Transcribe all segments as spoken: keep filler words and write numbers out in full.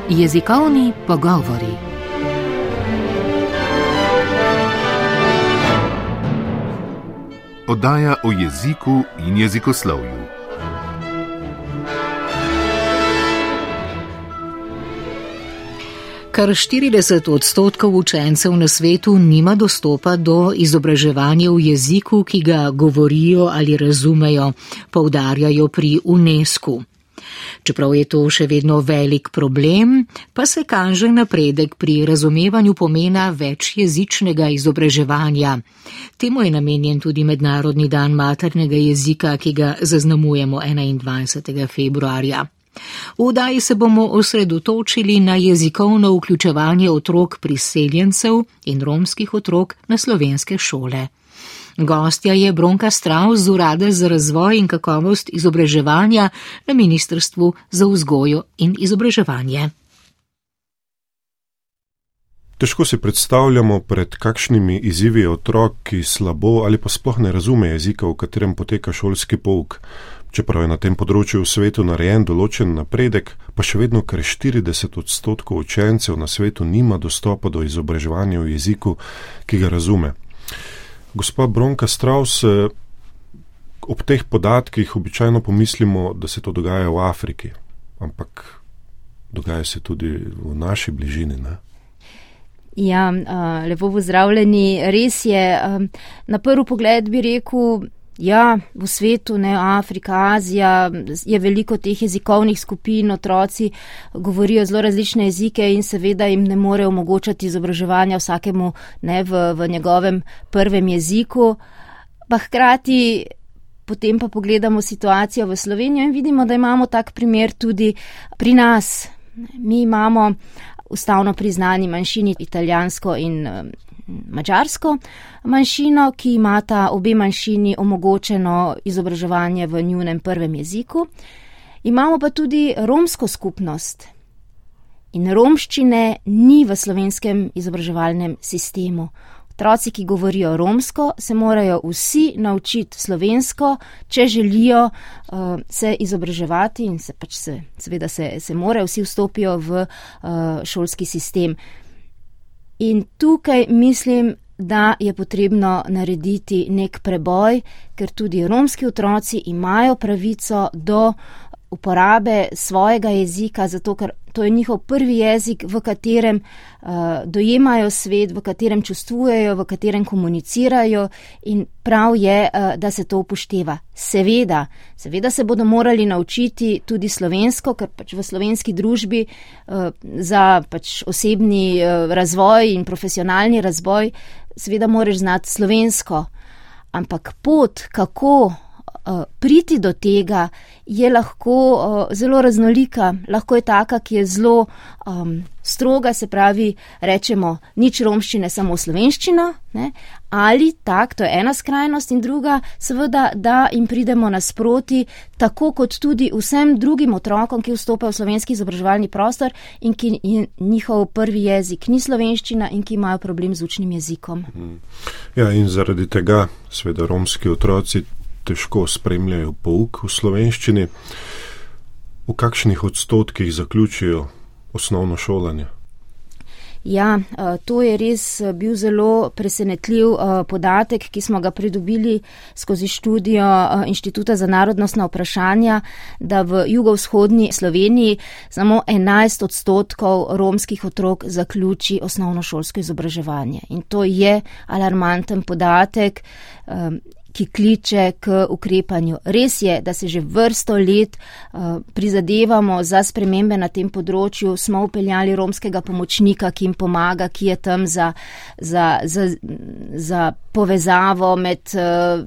Jezikovni pogovori. Oddaja o jeziku in jezikoslovju. Kar štirideset odstotkov učencev na svetu nima dostopa do izobraževanja v jeziku, ki ga govorijo ali razumejo, poudarjajo pri UNESCO. Čeprav je to še vedno velik problem, pa se kaže napredek pri razumevanju pomena večjezičnega izobraževanja. Temu je namenjen tudi Mednarodni dan maternega jezika, ki ga zaznamujemo enaindvajsetega februarja. V oddaji se bomo osredotočili na jezikovno vključevanje otrok priseljencev in romskih otrok na slovenske šole. Gostja je Bronka Stravs z Urada za razvoj in kakovost izobraževanja na Ministrstvu za vzgojo in izobraževanje. Težko si predstavljamo, pred kakšnimi izzivi otrok, ki slabo ali pa sploh ne razume jezika, v katerem poteka šolski pouk. Čeprav je na tem področju v svetu narejen določen napredek, pa še vedno kar štirideset odstotkov učencev na svetu nima dostopa do izobraževanja v jeziku, ki ga razume. Gospa Bronka Stravs, ob teh podatkih običajno pomislimo, da se to dogaja v Afriki, ampak dogaja se tudi v naši bližini, ne? Ja, lepo pozdravljeni. Res je, na prvi pogled bi rekel, ja, v svetu, ne, Afrika, Azija, je veliko teh jezikovnih skupin, otroci govorijo zelo različne jezike in seveda jim ne more omogočati izobraževanja vsakemu, ne, v, v njegovem prvem jeziku. Pa hkrati potem pa pogledamo situacijo v Slovenijo in vidimo, da imamo tak primer tudi pri nas. Mi imamo ustavno priznani manjšini italijansko in madžarsko manjšino, ki imata obe manjšini omogočeno izobraževanje v njunem prvem jeziku. Imamo pa tudi romsko skupnost in romščine ni v slovenskem izobraževalnem sistemu. Otroci, ki govorijo romsko, se morajo vsi naučiti slovensko, če želijo uh, se izobraževati in se pač se, seveda se, se morajo, vsi vstopijo v uh, šolski sistem. In tukaj mislim, da je potrebno narediti nek preboj, ker tudi romski otroci imajo pravico do uporabe svojega jezika, zato ker to je njihov prvi jezik, v katerem uh, dojemajo svet, v katerem čustvujejo, v katerem komunicirajo in prav je, uh, da se to upošteva. Seveda, seveda se bodo morali naučiti tudi slovensko, ker pač v slovenski družbi uh, za pač osebni uh, razvoj in profesionalni razvoj seveda moraš znati slovensko, ampak pot, kako priti do tega, je lahko uh, zelo raznolika, lahko je taka, ki je zelo um, stroga, se pravi, rečemo, nič romščine, samo slovenščino, ne? Ali tak, to je ena skrajnost in druga, seveda, da jim pridemo nasproti, tako kot tudi vsem drugim otrokom, ki vstopajo v slovenski izobraževalni prostor in ki njihov prvi jezik ni slovenščina in ki imajo problem z učnim jezikom. Ja, in zaradi tega, seveda, romski otroci težko spremljajo pouk v slovenščini. V kakšnih odstotkih zaključijo osnovno šolanje? Ja, to je res bil zelo presenetljiv podatek, ki smo ga pridobili skozi študijo Inštituta za narodnostna vprašanja, da v jugovzhodni Sloveniji samo enajst odstotkov romskih otrok zaključi osnovnošolsko izobraževanje. In to je alarmanten podatek, ki kliče k ukrepanju. Res je, da se že vrsto let uh, prizadevamo za spremembe na tem področju. Smo upeljali romskega pomočnika, ki jim pomaga, ki je tam za, za, za, za povezavo med uh,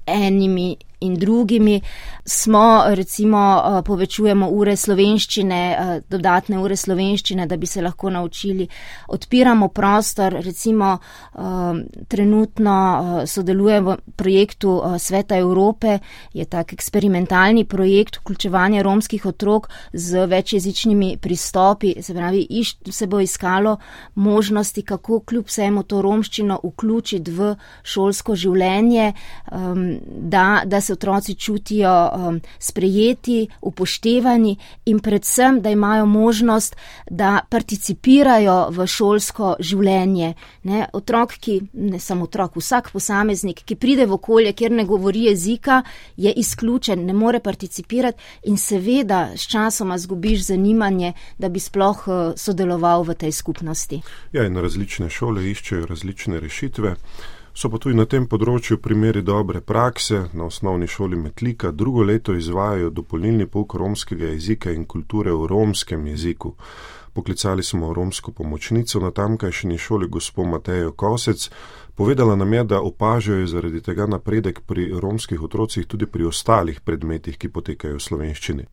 enimi in drugimi. Smo, recimo, povečujemo ure slovenščine, dodatne ure slovenščine, da bi se lahko naučili. Odpiramo prostor, recimo, trenutno sodelujemo v projektu Sveta Evrope, je tak eksperimentalni projekt vključevanja romskih otrok z večjezičnimi pristopi, se pravi, se bo iskalo možnosti, kako kljub vsemu to romščino vključiti v šolsko življenje, da, da se se otroci čutijo um, sprejeti, upoštevani in predvsem, da imajo možnost, da participirajo v šolsko življenje. Ne? Otrok, ki, ne samo otrok, vsak posameznik, ki pride v okolje, kjer ne govori jezika, je izključen, ne more participirati in seveda s časoma zgubiš zanimanje, da bi sploh uh, sodeloval v tej skupnosti. Ja, in različne šole iščejo različne rešitve. So pa tudi na tem področju primeri dobre prakse. Na osnovni šoli Metlika drugo leto izvajajo dopolnilni pouk romskega jezika in kulture v romskem jeziku. Poklicali smo romsko pomočnico na tamkajšnji šoli gospo Matejo Kosec. Povedala nam je, da opažajo zaradi tega napredek pri romskih otrocih tudi pri ostalih predmetih, ki potekajo v slovenščini.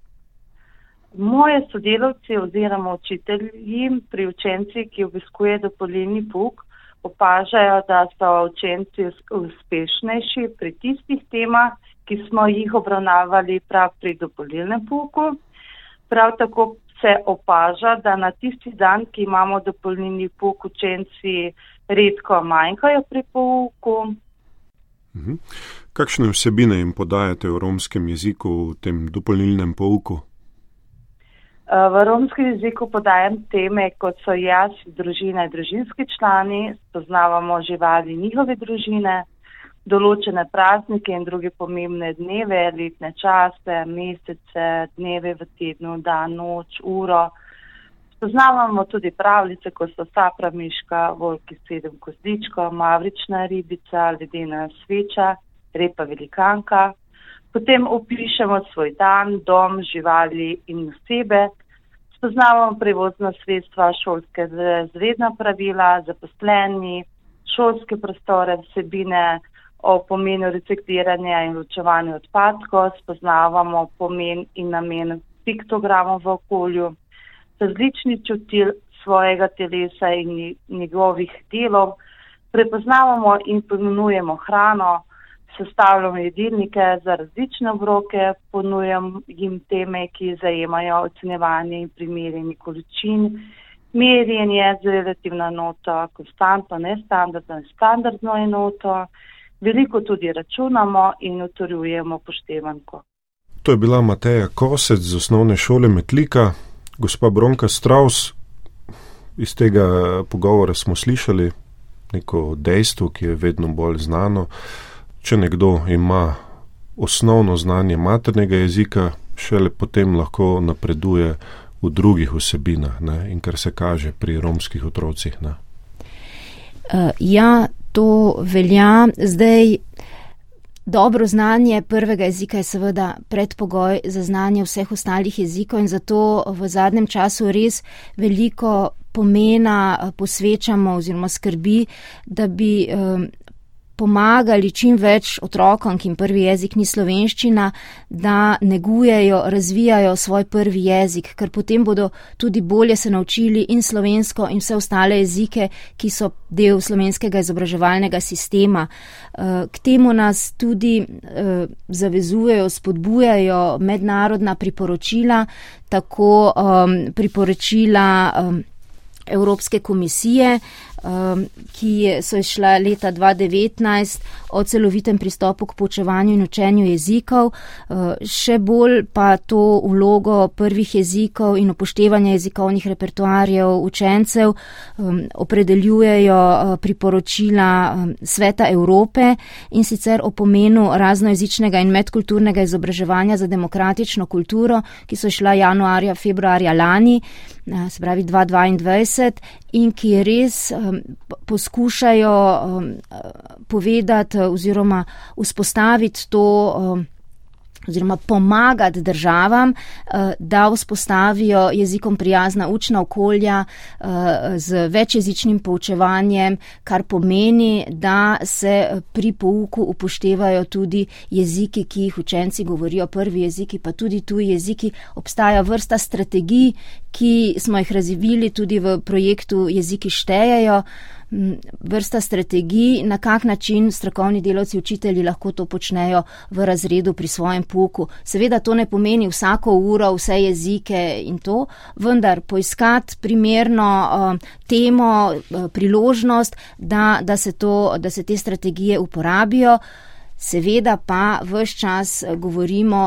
Moje sodelavci oziroma učitelji pri učenci, ki obiskuje dopolnilni pouk, opažajo, da so učenci uspešnejši pri tistih temah, ki smo jih obravnavali prav pri dopolnilnem pouku. Prav tako se opaža, da na tisti dan, ki imamo dopolnilni pouk, učenci redko manjkajo pri pouku. Mhm. Kakšne vsebine jim podajate v romskem jeziku v tem dopolnilnem pouku? V romskem jeziku podajam teme, kot so jaz, družina in družinski člani, spoznavamo živali njihove družine, določene praznike in druge pomembne dneve, letne čase, mesece, dneve v tednu, dan, noč, uro. Spoznavamo tudi pravljice, kot so Sapra miška, Volki sedem kozličkov, Mavrična ribica, Ledena sveča, Repa velikanka. Potem opišemo svoj dan, dom, živali in osebe. Spoznavamo prevozna sredstva, šolske razredna pravila, zaposleni, šolske prostore, vsebine o pomenu recikliranja in ločevanja odpadkov. Spoznavamo pomen in namen piktogramov v okolju, različni čutil svojega telesa in njegovih delov. Prepoznavamo in pomenujemo hrano, sestavljamo jedilnike za različne obroke, ponujam jim teme, ki zajemajo ocenjevanje in primerjanje količin, merjenje z relativno enoto, konstantno, nestandardno in standardno enoto. Veliko tudi računamo in utrjujemo poštevanko. To je bila Mateja Kosec z osnovne šole Metlika. Gospa Bronka Straus, iz tega pogovora smo slišali neko dejstvo, ki je vedno bolj znano. Če nekdo ima osnovno znanje maternega jezika, šele potem lahko napreduje v drugih vsebinah, ne? In kar se kaže pri romskih otrocih. Ne? Uh, ja, to velja. Zdaj, dobro znanje prvega jezika je seveda predpogoj za znanje vseh ostalih jezikov in zato v zadnjem času res veliko pomena posvečamo oziroma skrbi, da bi um, pomagali čim več otrokom, ki jim prvi jezik ni slovenščina, da negujejo, razvijajo svoj prvi jezik, ker potem bodo tudi bolje se naučili in slovensko in vse ostale jezike, ki so del slovenskega izobraževalnega sistema. K temu nas tudi zavezujejo, spodbujajo mednarodna priporočila, tako priporočila Evropske komisije, ki so išla leta dva tisoč devetnajst o celovitem pristopu k poučevanju in učenju jezikov, še bolj pa to vlogo prvih jezikov in upoštevanja jezikovnih repertoarjev učencev opredeljujejo priporočila Sveta Evrope in sicer o pomenu raznojezičnega in medkulturnega izobraževanja za demokratično kulturo, ki so išla januarja, februarja lani, se pravi dva tisoč dvaindvajset, in ki res um, poskušajo um, povedati oziroma vzpostaviti to um, oziroma pomagati državam, da vzpostavijo jezikom prijazna učna okolja z večjezičnim poučevanjem, kar pomeni, da se pri pouku upoštevajo tudi jeziki, ki jih učenci govorijo, prvi jeziki, pa tudi tuji jeziki. Obstaja vrsta strategij, ki smo jih razvili tudi v projektu Jeziki štejejo, vrsta strategij, na kak način strokovni delavci, učitelji lahko to počnejo v razredu pri svojem pouku. Seveda to ne pomeni vsako uro, vse jezike in to, vendar poiskati primerno uh, temo, uh, priložnost, da, da, se to, da se te strategije uporabijo. Seveda pa ves čas govorimo,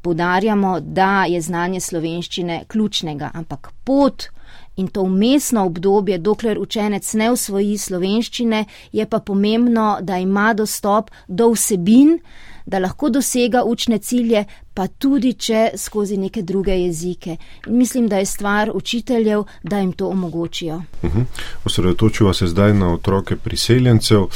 poudarjamo, da je znanje slovenščine ključnega, ampak pot in to vmesno obdobje, dokler učenec ne usvoji slovenščine, je pa pomembno, da ima dostop do vsebin, da lahko dosega učne cilje, pa tudi če skozi neke druge jezike. In mislim, da je stvar učiteljev, da jim to omogočijo. Uh-huh. Osredotočiva se zdaj na otroke priseljencev.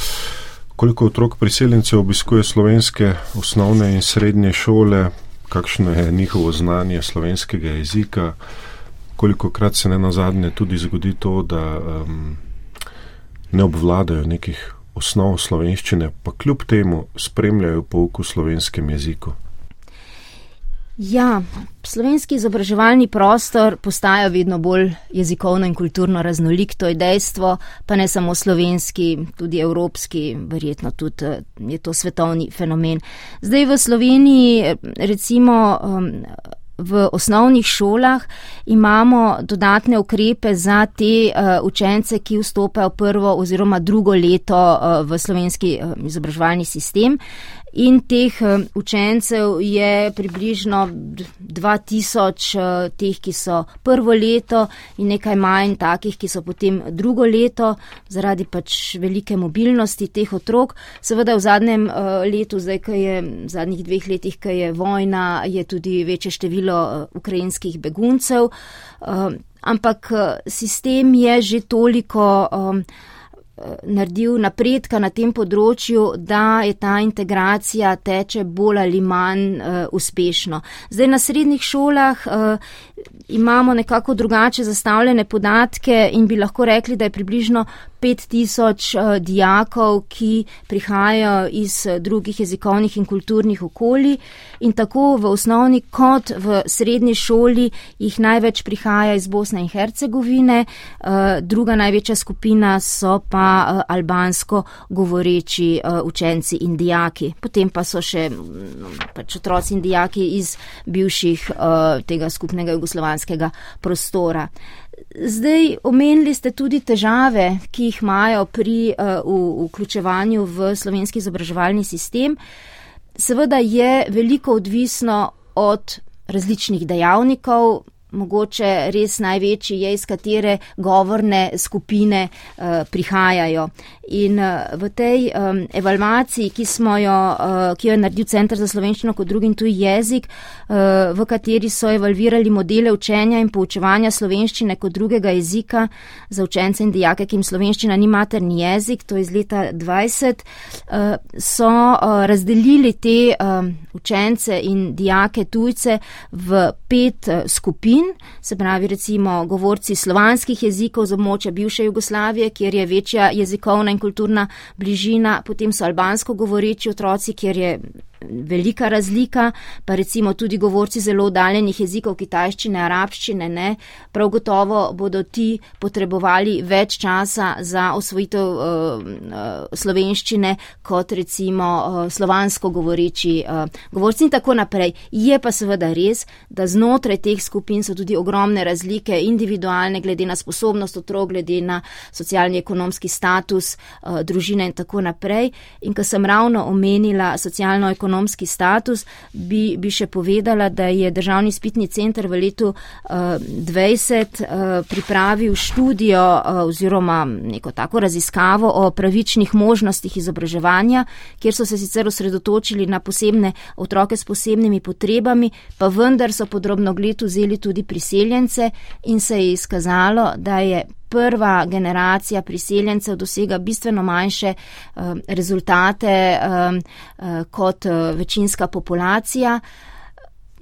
Koliko otrok priseljencev obiskuje slovenske osnovne in srednje šole? Kakšno je njihovo znanje slovenskega jezika? Kolikokrat se ne nazadnje tudi zgodi to, da um, ne obvladajo nekih osnov slovenščine, pa kljub temu spremljajo pouk v slovenskem jeziku? Ja, slovenski izobraževalni prostor postaja vedno bolj jezikovno in kulturno raznolik, to je dejstvo, pa ne samo slovenski, tudi evropski, verjetno tudi je to svetovni fenomen. Zdaj v Sloveniji, recimo v osnovnih šolah, imamo dodatne ukrepe za te uh, učence, ki vstopajo prvo oziroma drugo leto uh, v slovenski uh, izobraževalni sistem. In teh uh, učencev je približno dva tisoč, uh, teh, ki so prvo leto in nekaj manj takih, ki so potem drugo leto, zaradi pač velike mobilnosti teh otrok. Seveda v zadnjem uh, letu, zdaj, ko je, v zadnjih dveh letih, ko je vojna, je tudi večje število uh, ukrajinskih beguncev, uh, ampak uh, sistem je že toliko um, naredil napredka na tem področju, da je ta integracija teče bolj ali manj uh, uspešno. Zdaj na srednjih šolah uh, imamo nekako drugače zastavljene podatke in bi lahko rekli, da je približno pet tisoč uh, dijakov, ki prihajajo iz uh, drugih jezikovnih in kulturnih okolij, in tako v osnovni kot v srednji šoli jih največ prihaja iz Bosne in Hercegovine, uh, druga največja skupina so pa uh, albansko govoreči uh, učenci in dijaki. Potem pa so še um, pač otroci in dijaki iz bivših uh, tega skupnega jugoslovanskega prostora. Zdaj, omenili ste tudi težave, ki jih imajo pri uh, v, vključevanju v slovenski izobraževalni sistem. Seveda je veliko odvisno od različnih dejavnikov, mogoče res največji je, iz katere govorne skupine uh, prihajajo. In uh, v tej um, evalvaciji, ki smo jo, uh, ki jo je naredil Center za slovenščino kot drugi in tuji jezik, uh, v kateri so evalvirali modele učenja in poučevanja slovenščine kot drugega jezika za učence in dijake, ki jim slovenščina ni materni jezik, to je iz leta dvajset, uh, so uh, razdelili te uh, učence in dijake tujce v pet uh, skupin. Se pravi, recimo govorci slovanskih jezikov z območja bivše Jugoslavije, kjer je večja jezikovna in kulturna bližina, potem so albansko govoreči otroci, kjer je velika razlika, pa recimo tudi govorci zelo oddaljenih jezikov, kitajščine, arabščine, ne, prav gotovo bodo ti potrebovali več časa za osvojitev uh, uh, slovenščine kot recimo uh, slovansko govoreči uh, govorci in tako naprej. Je pa seveda res, da znotraj teh skupin so tudi ogromne razlike, individualne, glede na sposobnost otrok, glede na socialni ekonomski status uh, družine in tako naprej. In ko sem ravno omenila socialno-ekonomski ekonomski status, bi, bi še povedala, da je Državni izpitni center v letu uh, dvajset uh, pripravil študijo uh, oziroma neko tako raziskavo o pravičnih možnostih izobraževanja, kjer so se sicer osredotočili na posebne otroke s posebnimi potrebami, pa vendar so pod drobnogled vzeli tudi priseljence in se je izkazalo, da je prva generacija priseljencev dosega bistveno manjše uh, rezultate uh, uh, kot uh, večinska populacija.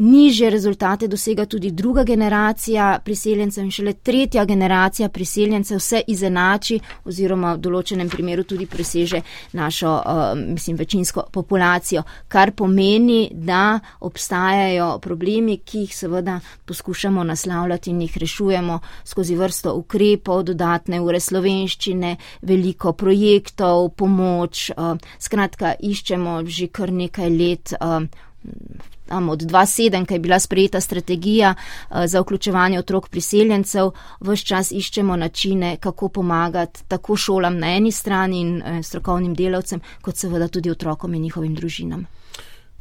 Nižje rezultate dosega tudi druga generacija priseljencev in šele tretja generacija priseljencev se izenači oziroma v določenem primeru tudi preseže našo, uh, mislim, večinsko populacijo, kar pomeni, da obstajajo problemi, ki jih seveda poskušamo naslavljati in jih rešujemo skozi vrsto ukrepov, dodatne ure slovenščine, veliko projektov, pomoč, uh, skratka, iščemo že kar nekaj let uh, tam od dva tisoč sedem, ko je bila sprejeta strategija za vključevanje otrok priseljencev, ves čas iščemo načine, kako pomagati tako šolam na eni strani in strokovnim delavcem, kot seveda tudi otrokom in njihovim družinam.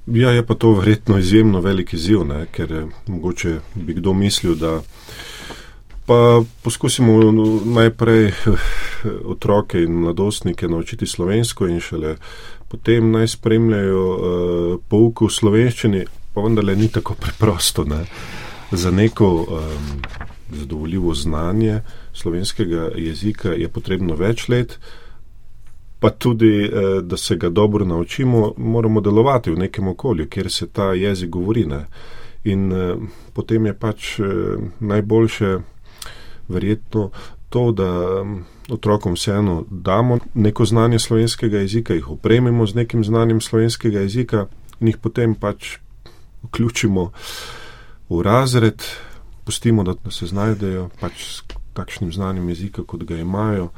Ja, je pa to verjetno izjemno velik izziv, ne? Ker mogoče bi kdo mislil, da pa poskusimo najprej otroke in mladostnike naučiti slovensko in šele potem naj spremljajo uh, pouk v slovenščini, pa vendarle ni tako preprosto. Ne? Za neko um, zadovoljivo znanje slovenskega jezika je potrebno več let, pa tudi, uh, da se ga dobro naučimo, moramo delovati v nekem okolju, kjer se ta jezik govori. Ne? In uh, potem je pač uh, najboljše verjetno to, da um, otrokom vseeno damo neko znanje slovenskega jezika, jih opremimo z nekim znanjem slovenskega jezika in jih potem pač vključimo v razred, pustimo, da se znajdejo pač s takšnim znanjem jezika, kot ga imajo.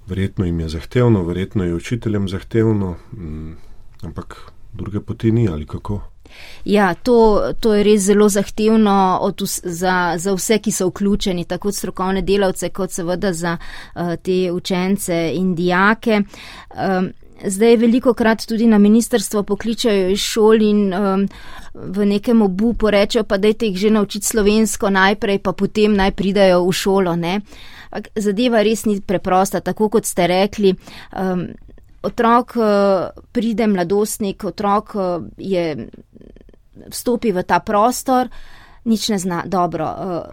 Verjetno jim je zahtevno, verjetno je učiteljem zahtevno, ampak druge poti ni, ali kako? Ja, to, to je res zelo zahtevno od, za, za vse, ki so vključeni, tako strokovne delavce, kot seveda za uh, te učence in dijake. Um, zdaj veliko krat tudi na ministrstvo pokličajo iz šol in um, v nekem obupu rečejo, pa dajte jih že naučiti slovensko najprej, pa potem naj pridajo v šolo. Ne? Zadeva res ni preprosta, tako kot ste rekli. Um, Otrok pride, mladostnik, otrok je, vstopi v ta prostor, nič ne zna. Dobro,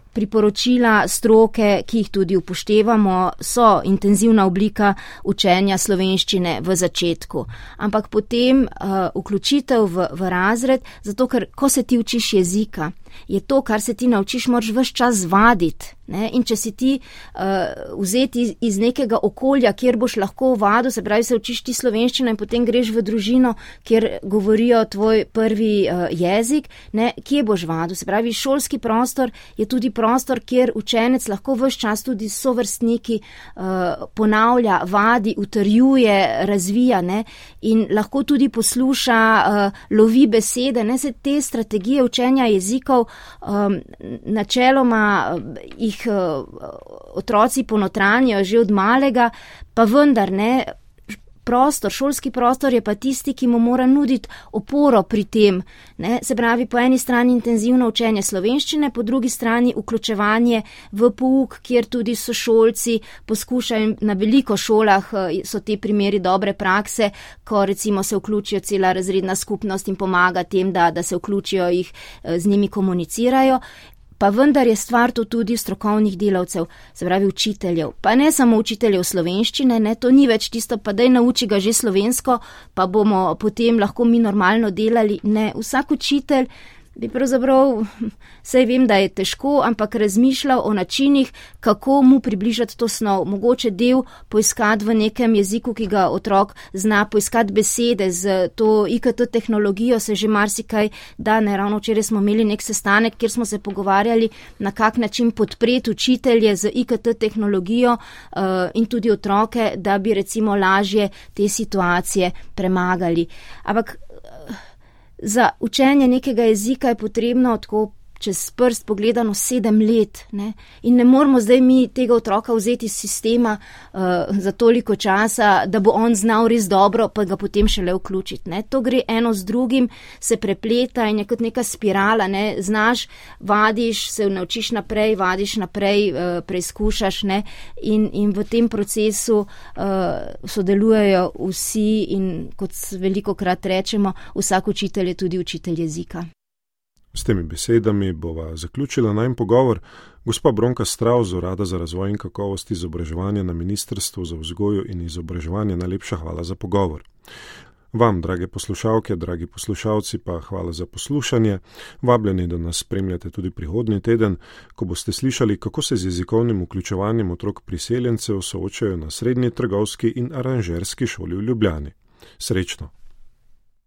priporočila stroke, ki jih tudi upoštevamo, so intenzivna oblika učenja slovenščine v začetku. Ampak potem vključitev v, v razred, zato ker ko se ti učiš jezika, je to, kar se ti naučiš, moraš ves čas vaditi. Ne? In če si ti uh, vzeti iz, iz nekega okolja, kjer boš lahko vadil, se pravi, se učiš ti slovenščino in potem greš v družino, kjer govorijo tvoj prvi uh, jezik, ne? Kje boš vadil? Se pravi, šolski prostor je tudi prostor, kjer učenec lahko ves čas tudi s sovrstniki uh, ponavlja, vadi, utrjuje, razvija, ne? In lahko tudi posluša, uh, lovi besede, ne? Se te strategije učenja jezikov um, načeloma uh, jih otroci ponotranjajo že od malega, pa vendar ne, prostor, šolski prostor je pa tisti, ki mu mora nuditi oporo pri tem. Ne? Se pravi, po eni strani intenzivno učenje slovenščine, po drugi strani vključevanje v pouk, kjer tudi sošolci poskušajo, na veliko šolah so te primeri dobre prakse, ko recimo se vključijo cela razredna skupnost in pomaga tem, da, da se vključijo, jih z njimi komunicirajo. Pa vendar je stvar to tudi strokovnih delavcev, se pravi učiteljev. Pa ne samo učiteljev slovenščine, ne, to ni več tisto, pa daj nauči ga že slovensko, pa bomo potem lahko mi normalno delali. Ne, vsak učitelj bi pravzaprav, saj vem, da je težko, ampak razmišljal o načinih, kako mu približati to snov. Mogoče del poiskati v nekem jeziku, ki ga otrok zna, poiskati besede z to I K T tehnologijo, se že marsikaj da. Ne, ravno včeraj smo imeli nek sestanek, kjer smo se pogovarjali, na kak način podpreti učitelje z I K T tehnologijo uh, in tudi otroke, da bi recimo lažje te situacije premagali. Ampak za učenje nekega jezika je potrebno tako čez prst pogledano sedem let. Ne? In ne moramo zdaj mi tega otroka vzeti iz sistema uh, za toliko časa, da bo on znal res dobro, pa ga potem šele vključiti. Ne? To gre eno z drugim, se prepleta in je kot neka spirala. Ne? Znaš, vadiš, se naučiš naprej, vadiš naprej, uh, preizkušaš, ne? In, in v tem procesu uh, sodelujejo vsi in kot veliko krat rečemo, vsak učitelj je tudi učitelj jezika. S temi besedami bova zaključila najin pogovor. Gospa Bronka Stravs z Urada za razvoj in kakovost izobraževanja na Ministrstvu za vzgojo in izobraževanje, najlepša hvala za pogovor. Vam, drage poslušalke, dragi poslušalci, pa hvala za poslušanje. Vabljeni, da nas spremljate tudi prihodnji teden, ko boste slišali, kako se z jezikovnim vključevanjem otrok priseljencev soočajo na Srednji trgovski in aranžerski šoli v Ljubljani. Srečno!